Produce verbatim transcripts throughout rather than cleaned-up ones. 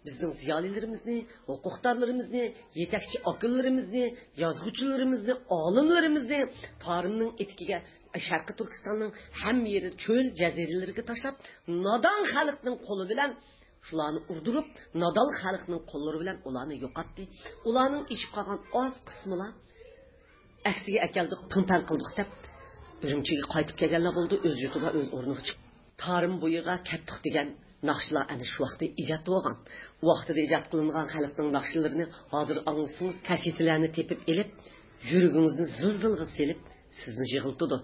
بىزنىڭ زىيالىيلىرىمىزنى، ھوقۇقدارلىرىمىزنى، يېتەكچى ئاكىلىرىمىزنى، يازغۇچىلىرىمىزنى، ئالىملىرىمىزنى تارىمنىڭ ئېتىكىگە، شەرقىي تۈركىستاننىڭ ھەممە يېرى چۆل جەزىرىلىرىگە تاشلاپ، نادان خەلقنىڭ قولى بىلەن شۇلارنى ئۇردۇرۇپ، نادان خەلقنىڭ قوللىرى بىلەن ئۇلارنى يوقاتتى. ئۇلارنىڭ ئېشىپ قالغان ئاز قىسمىلا ئەكسىگە ئەكەلدۇق، پىڭ-پەڭ قىلدۇق دەپ، ئۈرۈمچىگە قايتىپ كەلگەنلەر بولدى، ئۆز يۇرتىغا، ئۆز ئورنىغا چىقىپ. تارىم بويىغا كەتتۇق دېگەن ناخشىلار ئەنە شۇ ۋاقىتتا ئىجاد بولغان. ۋاقتىدا ئىجاد قىلىنغان خەلقنىڭ ناخشىلىرىنى ھازىر ئاڭلىسىڭىز، كاسېتىلەرنى تېپىپ ئېلىپ، يۈرىكىڭىزنى زىلزىلغا سېلىپ، سىزنى يىغلىتىدۇ.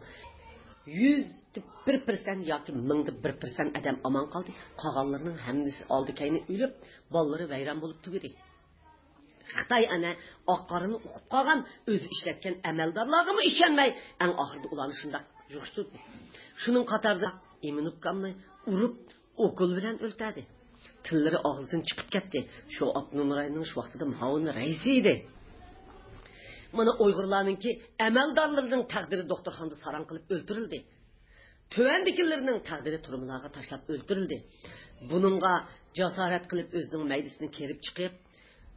يۈزدە بىر پىرسەنت ياكى مىڭدا بىر پىرسەنت ئادەم ئامان قالدى. قالغانلىرىنىڭ ھەممىسى ئالدى-كەينى ئۆلۈپ، بالىلىرى ۋەيران بولۇپ تۈگىدى. خىتاي ئەنە ئاق-قارىنى ئۇقۇپ قالغان، ئۆزى ئىشلەتكەن ئەمەلدارلارغىمۇ ئىشەنمەي، ئەڭ ئاخىرىدا ئۇلارنى شۇنداق يىغىشتۇردى. شۇنىڭ قاتارىدا ئىمىنۇكامنى ئۇرۇپ، ئوكۇل بىلەن ئۆلتۈردى. تىللىرى ئاغزىدىن چىقىپ كەتتى. شۇ ئاپتونوم رايوننىڭ شۇ ۋاقتىدا مۇئاۋىن رەئىسى ئىدى. مانا ئۇيغۇرلارنىڭكى ئەمەلدارلىرىنىڭ تەقدىرى دوختۇرخانىدا ساراڭ قىلىپ ئۆلتۈرۈلدى. تۆۋەندىكىلىرىنىڭ تەقدىرى تۈرمىلەرگە تاشلاپ ئۆلتۈرۈلدى. بۇنىڭغا جاسارەت قىلىپ ئۆزىنىڭ مەيدىسىنى كېرىپ چىقىپ،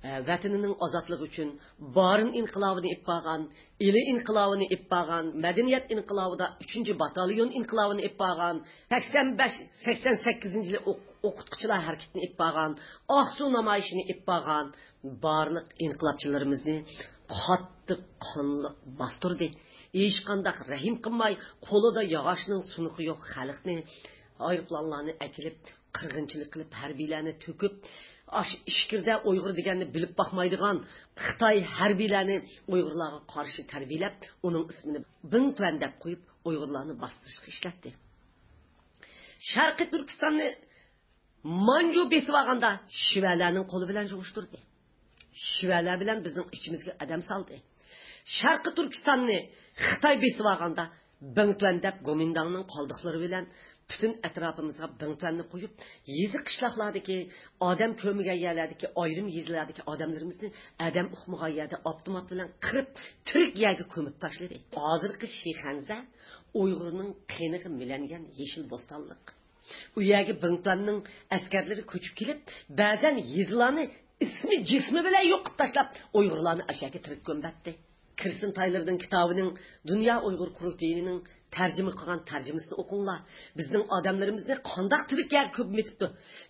ئە، ۋەتىنىنىڭ ئازادلىقى ئۈچۈن بارىن ئىنقىلابىنى ئېلىپ بارغان، ئىلى ئىنقىلابىنى ئېلىپ بارغان، مەدەنىيەت ئىنقىلابىدا ئۈچىنچى باتاليون ئىنقىلابىنى ئېلىپ بارغان، سەكسەن بەش، سەكسەن سەككىزىنچى يىلى ئوق-، ئوقۇتقۇچىلار ھەرىكىتىنى ئېلىپ بارغان، ئاقسۇ نامايىشىنى ئېلىپ بارغان بارلىق ئىنقىلابچىلىرىمىزنى قاتتىق قانلىق باستۇردى. ھېچقانداق رەھىم قىلماي، قولىدا ياغاچنىڭ سۇنۇقى يوق خەلقنى ئايروپىلانلارنى ئەكېلىپ، قىرغىنچىلىق قىلىپ، ھەربىيلەرنى تۆكۈپ، ئاشۇ ئىچكىرىدە ئۇيغۇر دېگەننى بىلىپ باقمايدىغان خىتاي ھەربىيلەرنى ئۇيغۇرلارغا قارشى تەربىيەلەپ، ئۇنىڭ ئىسمىنى بىڭتۈەن دەپ قويۇپ، ئۇيغۇرلارنى باستۇرۇشقا ئىشلەتتى. شەرقىي تۈركىستاننى مانجۇ بېسىۋالغاندا شىۋەلەرنىڭ قولى بىلەن يىغىشتۇردى. شىۋەلەر بىلەن بىزنىڭ ئىچىمىزگە ئادەم سالدى. شەرقىي تۈركىستاننى خىتاي بېسىۋالغاندا بىڭتۈەن دەپ گومىنداڭنىڭ قالدۇقلىرى بىلەن پۈتۈن ئەتراپىمىزغا بىڭتۈەننى قويۇپ، يېزا قىشلاقلاردىكى، ئادەم كۆرمىگەن يەرلەردىكى، ئايرىم يېزىلاردىكى ئادەملىرىمىزنى ئادەم ئۇقمىغان يەردە ئاپتومات بىلەن قىرىپ، تىرىك يەرگە كۆمۈپ تاشلىدى. ھازىرقى شىخەنزە ئۇيغۇرنىڭ قېنىغا مىلەنگەن يېشىل بوستانلىق. ئۇ يەرگە بىڭتۈەننىڭ ئەسكەرلىرى كۆچۈپ كېلىپ، بەزەن يېزىلارنى ئىسمى جىسمى بىلەن يوقىتىپ تاشلاپ، ئۇيغۇرلارنى ئاشۇ يەرگە تىرىك كۆمۈۋەتتى. كىرستىن تايلېرنىڭ كىتابىنىڭ دۇنيا ئۇيغۇر قۇرۇلتىيىنىڭ تەرجىمە قىلغان تەرجىمىسىنى ئوقۇڭلار. بىزنىڭ ئادەملىرىمىزنى قانداق تىرىك يەرگە كۆمۈۋېتىپتۇ.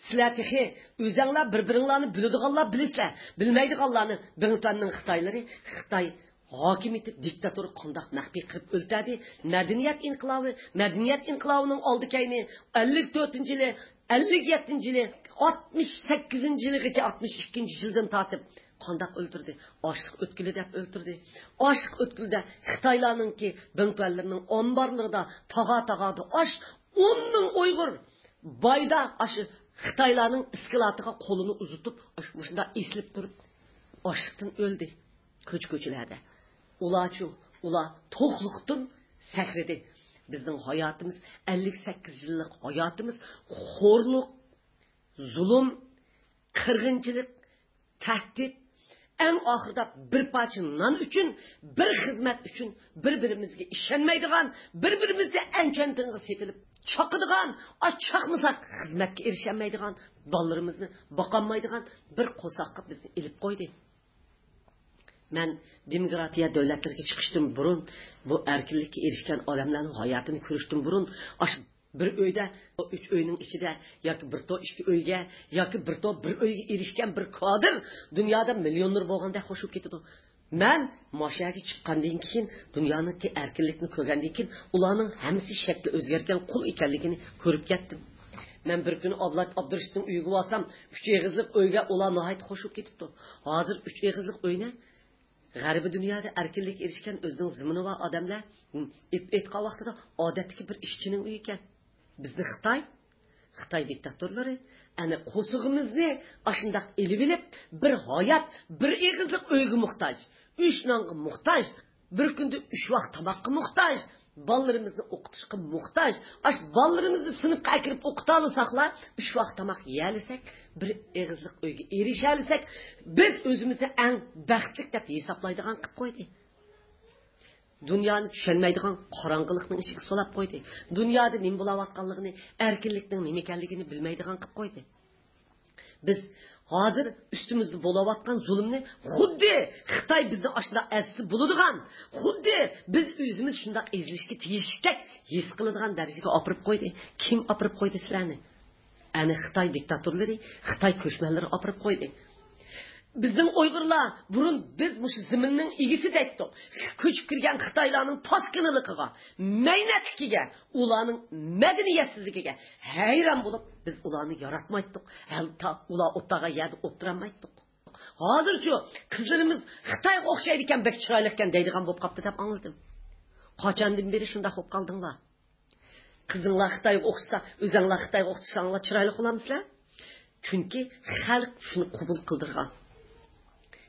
سىلەر تېخى ئۆزەڭلار بىر-بىرىڭلارنى بىلىدىغانلار بىلىسىلەر. بىلمەيدىغانلارنى بىڭتۈەننىڭ خىتايلىرى، خىتاي ھاكىمىيىتى دىكتاتور قانداق مەخپىي قىلىپ ئۆلتۈردى؟ مەدەنىيەت ئىنقىلابى، مەدەنىيەت ئىنقىلابىنىڭ ئالدى كەينى، ئەللىك تۆتىنچى يىلى، ئەللىك يەتتىنچى يىلى، ئاتمىش سەككىزىنچى يىلىغىچە، ئاتمىش ئىككىنچى يىلدىن تارتىپ قانداق ئۆلتۈردى؟ ئاشلىق ئۆتكىلى دەپ ئۆلتۈردى. ئاشلىق ئۆتكىلىدە خىتايلارنىڭكى بىڭتۈەنلىرىنىڭ ئامبارلىرىدا تاغا-تاغادا ئاش، ئون مىڭ ئۇيغۇر بايدا ئاشۇ خىتايلارنىڭ ئىسكىلاتىغا قولىنى ئۇزىتىپ، ئاشۇ مۇشۇنداق ئېسىلىپ تۇرۇپ، ئاشلىقتىن ئۆلدى. كوچا-كوچىلاردا. ئۇلارچۇ، ئۇلار توقلۇقتىن سەكرىدى. بىزنىڭ ھاياتىمىز، ئەللىك سەككىز يىللىق ھاياتىمىز خورلۇق، زۇلۇم، قىرغىنچىلىق، تەھدىت، ئەڭ ئاخىرىدا بىر پارچە نان ئۈچۈن، بىر خىزمەت ئۈچۈن بىر-بىرىمىزگە ئىشەنمەيدىغان، بىر-بىرىمىزنى ئەنچۈەن تىڭغا سېتىلىپ چاقىدىغان، ئاچ چاقمىساق خىزمەتكە ئېرىشەلمەيدىغان، بالىلىرىمىزنى باقالمايدىغان بىر قورساققا بىزنى ئېلىپ قويدى. مەن دېموكراتىيە دۆلەتلىرىگە چىقىشتىن بۇرۇن، بۇ ئەركىنلىككە ئېرىشكەن ئادەملەرنىڭ ھاياتىنى كۆرۈشتىن بۇرۇن، ئاشۇ بىر ئۆيدە، ئۈچ ئۆينىڭ ئىچىدە ياكى بىر تو ئىككى ئۆيگە، ياكى بىر تو بىر ئۆيگە ئېرىشكەن بىر كادىر دۇنيادا مىليونېر بولغاندەك خوش بولۇپ كېتىدۇ. مەن ماشۇ يەرگە چىققاندىن كېيىن، دۇنيانىڭكى ئەركىنلىكنى كۆرگەندىن كېيىن، ئۇلارنىڭ ھەممىسى شەكلى ئۆزگەرگەن قۇل ئىكەنلىكىنى كۆرۈپ كەتتىم. مەن بىر كۈنى ئابلەت ئابدۇرېشىتنىڭ ئۆيىگە بارسام، ئۈچ ئېغىزلىق ئۆيگە ئۇلار ناھايىتى خوش بولۇپ كېتىپتۇ. ھازىر ئۈچ ئېغىزلىق ئۆينى غەربىي دۇنيادا ئەركىنلىككە ئېرىشكەن ئۆزىنىڭ زېمىنى بار ئادەملەر ئېيتقان ۋاقتىدا ئادەتتىكى بىر ئىشچىنىڭ ئۆيى ئىكەن. بىزنى خىتاي، خىتاي دىكتاتورلىرى ئەنە قورسىقىمىزنى ئاشۇنداق ئېلىۋېلىپ، بىر ھايات، بىر ئېغىزلىق ئۆيگە موھتاج، ئۈچ نانغا موھتاج، بىر كۈندە ئۈچ ۋاق تاماققا موھتاج، بالىلىرىمىزنى ئوقۇتۇشقا موھتاج. ئاشۇ بالىلىرىمىزنى سىنىپقا ئەكىرىپ ئوقۇتالىساقلا، ئۈچ ۋاق تاماق يېيەلىسەك، بىر ئېغىزلىق ئۆيگە ئېرىشەلىسەك، بىز ئۆزىمىزنى ئەڭ بەختلىك دەپ ھېسابلايدىغان قىلىپ قويدى. دۇنيانى چۈشەنمەيدىغان قاراڭغۇلۇقنىڭ ئىچىگە سولاپ قويدى. دۇنيادا نېمە بولاۋاتقانلىقىنى، ئەركىنلىكنىڭ نېمە ئىكەنلىكىنى بىلمەيدىغان قىلىپ قويدى. بىز ھازىر ئۈستىمىزدە بولۇۋاتقان زۇلۇمنى خۇددى خىتاي بىزنى ئاشۇنداق ئەزسە بولىدىغان، خۇددى بىز ئۆزىمىز شۇنداق ئېزىلىشكە تېگىشلىكتەك ھېس قىلىدىغان دەرىجىگە ئاپىرىپ قويدى. كىم ئاپىرىپ قويدى سىلەرنى؟ ئەنە خىتاي دىكتاتورلىرى، خىتاي كۆچمەنلىرى ئاپىرىپ قويدى. بىزنىڭ ئۇيغۇرلار بۇرۇن بىز مۇشۇ زېمىننىڭ ئىگىسى دەيتتۇق. كۆچۈپ كىرگەن خىتايلارنىڭ پاسكىنىلىقىغا، مەينەتلىكىگە، ئۇلارنىڭ مەدەنىيەتسىزلىكىگە ھەيران بولۇپ، بىز ئۇلارنى ياراتمايتتۇق. ھەتتا ئۇلار ئولتۇرغان يەردە ئولتۇرالمايتتۇق. ھازىرچۇ قىزلىرىمىز خىتايغا ئوخشايدىكەن، بەك چىرايلىقكەن دەيدىغان بولۇپ قاپتۇ دەپ ئاڭلىدىم. قاچاندىن بېرى شۇنداق بولۇپ قالدىڭلار؟ قىزىڭلار خىتايغا ئوخشىسا، ئۆزەڭلار خىتايغا ئوخشىساڭلار چىرايلىق بولامسىلەر؟ چۈنكى خەلق شۇنى قوبۇل قىلدۇرغان.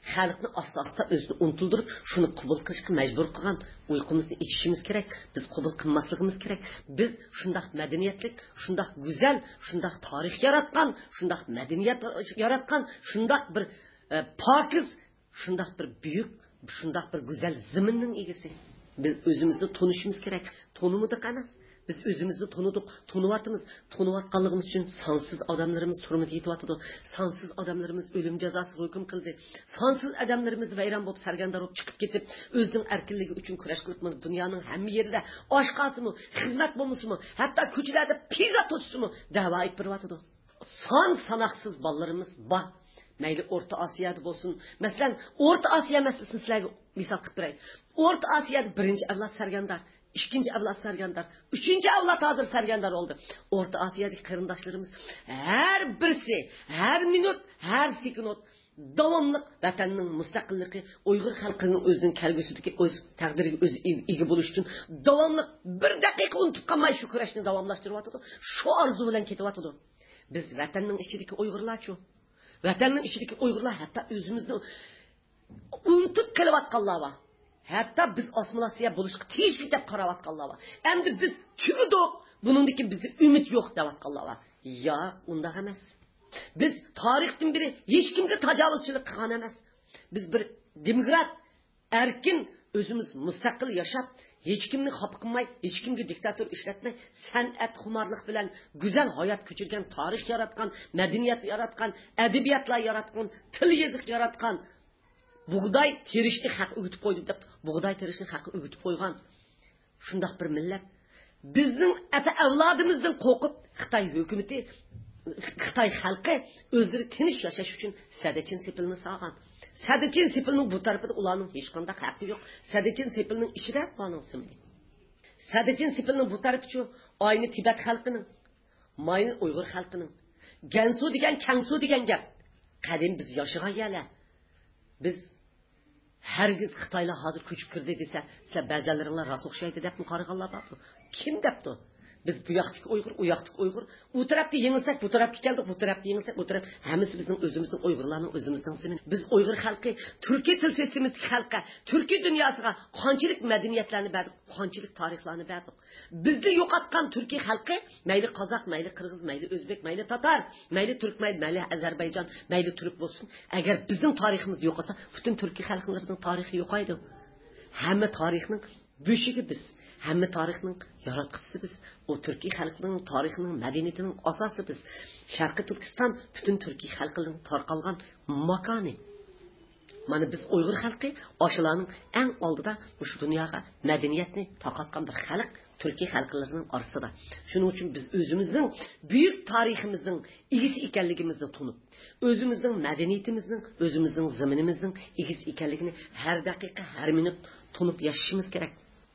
خەلقنى ئاستا-ئاستا ئۆزىنى ئۇنتۇلدۇرۇپ، شۇنى قوبۇل قىلىشقا مەجبۇر قىلغان. ئۇيقۇمىزنى ئېچىشىمىز كېرەك. بىز قوبۇل قىلماسلىقىمىز كېرەك. بىز شۇنداق مەدەنىيەتلىك، شۇنداق گۈزەل، شۇنداق تارىخ ياراتقان، شۇنداق مەدەنىيەت ياراتقان، شۇنداق بىر، ئە، پاكىز، شۇنداق بىر بۈيۈك، شۇنداق بىر گۈزەل زېمىننىڭ ئىگىسى. بىز ئۆزىمىزنى تونۇشىمىز كېرەك. تونۇمىدۇق ئەمەس. بىز ئۆزىمىزنى تونۇدۇق، تونۇۋاتىمىز. تونۇۋاتقانلىقىمىز ئۈچۈن سانسىز ئادەملىرىمىز تۈرمىدە يېتىۋاتىدۇ. سانسىز ئادەملىرىمىز ئۆلۈم جازاسىغا ھۆكۈم قىلدى. سانسىز ئادەملىرىمىز ۋەيران بولۇپ، سەرگەردان بولۇپ چىقىپ كېتىپ، ئۆزىنىڭ ئەركىنلىكى ئۈچۈن كۈرەش قىلىپ، مانا دۇنيانىڭ ھەممە يېرىدە ئاشقاسىمۇ، خىزمەت بولمىسىمۇ، ھەتتا كوچىلاردا پىززا توشسىمۇ دەۋا ئېلىپ بېرىۋاتىدۇ. سان ساناقسىز بالىلىرىمىز بار. مەيلى ئورتا ئاسىيادا بولسۇن. مەسىلەن، ئورتا ئاسىيا مەسىلىسىنى سىلەرگە مىسال قىلىپ بېرەي. ئورتا ئاسىيادا بىرىنچى ئەۋلاد سەرگەردان، ئىككىنچى ئەۋلاد سەرگەردان، ئۈچىنچى ئەۋلاد ھازىر سەرگەردان بولدى. ئورتا ئاسىيادىكى قېرىنداشلىرىمىز ھەر بىرسى، ھەر مىنۇت، ھەر سېكۇنت داۋاملىق ۋەتەننىڭ مۇستەقىللىقى، ئۇيغۇر خەلقىنىڭ ئۆزىنىڭ كەلگۈسىدىكى ئۆز تەقدىرىگە ئۆزى ئىگە، ئىگە بولۇش ئۈچۈن داۋاملىق بىر دەقىقە ئۇنتۇپ قالماي شۇ كۈرەشنى داۋاملاشتۇرۇۋاتىدۇ. شۇ ئارزۇ بىلەن كېتىۋاتىدۇ. بىز ۋەتەننىڭ ئىچىدىكى ئۇيغۇرلارچۇ؟ ۋەتەننىڭ ئىچىدىكى ئۇيغۇرلار ھەتتا ئۆزىمىزنى ئۇنتۇپ قېلىۋاتقانلار بار. ھەتتا بىز ئاسسىمىلياتسىيە بولۇشقا تېگىشلىك دەپ قاراۋاتقانلار بار. ئەمدى بىز تۈگىدۇق، بۇنىڭدىن كېيىن بىزدە ئۈمىد يوق دەۋاتقانلار بار. ياق، ئۇنداق ئەمەس. بىز تارىختىن بېرى ھېچكىمگە تاجاۋۇزچىلىق قىلغان ئەمەس. بىز بىر دېموكرات، ئەركىن، ئۆزىمىز مۇستەقىل ياشاپ، ھېچكىمنى خاپا قىلماي، ھېچكىمگە دىكتاتور ئىشلەتمەي، سەنئەت خۇمارلىق بىلەن گۈزەل ھايات كۆچۈرگەن، تارىخ ياراتقان، مەدەنىيەت ياراتقان، ئەدەبىياتلار ياراتقان، تىل يېزىق ياراتقان، بۇغداي تېرىشنى خەققە ئۆگىتىپ قويدۇم دەپ، بۇغداي تېرىشنى خەققە ئۆگىتىپ قويغان شۇنداق بىر مىللەت. بىزنىڭ ئەتە ئەۋلادىمىزدىن قورقۇپ، خىتاي ھۆكۈمىتى، خىتاي خەلقى ئۆزلىرى تىنچ ياشاش ئۈچۈن سەددىچىن سېپىلنى سالغان. سەددىچىن سېپىلنىڭ بۇ تەرىپىدە ئۇلارنىڭ ھېچقانداق ھەققى يوق. سەددىچىن سېپىلنىڭ ئىچىدە ئۇلارنىڭ سىمىدى. سەددىچىن سېپىلنىڭ بۇ تەرىپىچۇ، ئاينى تىبەت خەلقىنىڭ، ماينى ئۇيغۇر خەلقىنىڭ. گەنسۇ دېگەن، كەڭسۇ دېگەن گەپ. قەدىم بىز ياشىغان يەرلەر. بىز ھەرگىز خىتايلار ھازىر كۆچۈپ كىردى دېسە، سىلەر بەزەنلىرىڭلار راست ئوخشايدۇ دەپمۇ قارىغانلار بارمۇ؟ كىم دەپتۇ؟ بىز بۇ ياقتىكى ئۇيغۇر، ئۇ ياقتىكى ئۇيغۇر. ئۇ تەرەپتە يېڭىلسەك، بۇ تەرەپكە كەلدۇق، بۇ تەرەپتە يېڭىلسەك، ئۇ تەرەپ. ھەممىسى بىزنىڭ ئۆزىمىزنىڭ ئۇيغۇرلارنىڭ ئۆزىمىزنىڭ زېمىنى. بىز ئۇيغۇر خەلقى تۈركىي تىل سىستېمىسىدىكى خەلققە، تۈركىي دۇنياسىغا قانچىلىك مەدەنىيەتلەرنى بەردۇق، قانچىلىك تارىخلارنى بەردۇق. بىزنى يوقاتقان تۈركىي خەلقى، مەيلى قازاق، مەيلى قىرغىز، مەيلى ئۆزبېك، مەيلى تاتار، مەيلى تۈركمەن، مەيلى ئەزەربەيجان، مەيلى تۈرك بولسۇن. ئەگەر بىزنىڭ تارىخىمىز يوقالسا، پۈتۈن تۈركىي خەلقلەرنىڭ تارىخى يوقايدۇ. ھەممە تارىخنىڭ بۆشۈكى بىز. ھەممە تارىخنىڭ ياراتقۇچىسى بىز. ئۇ تۈركىي خەلقنىڭ تارىخىنىڭ، مەدەنىيىتىنىڭ ئاساسى بىز. شەرقىي تۈركىستان پۈتۈن تۈركىي خەلقنىڭ تارقالغان ماكانى. مانا بىز ئۇيغۇر خەلقى ئاشۇلارنىڭ ئەڭ ئالدىدا مۇشۇ دۇنياغا مەدەنىيەتنى تارقاتقان بىر خەلق تۈركىي خەلقلىرىنىڭ ئارىسىدا. شۇنىڭ ئۈچۈن بىز ئۆزىمىزنىڭ بۈيۈك تارىخىمىزنىڭ ئىگىسى ئىكەنلىكىمىزنى تونۇپ، ئۆزىمىزنىڭ مەدەنىيىتىمىزنىڭ، ئۆزىمىزنىڭ زېمىنىمىزنىڭ ئىگىسى ئىكەنلىكىنى ھەر دەقىقە، ھەر مىنۇت تونۇپ ياشىشىمىز كېرەك.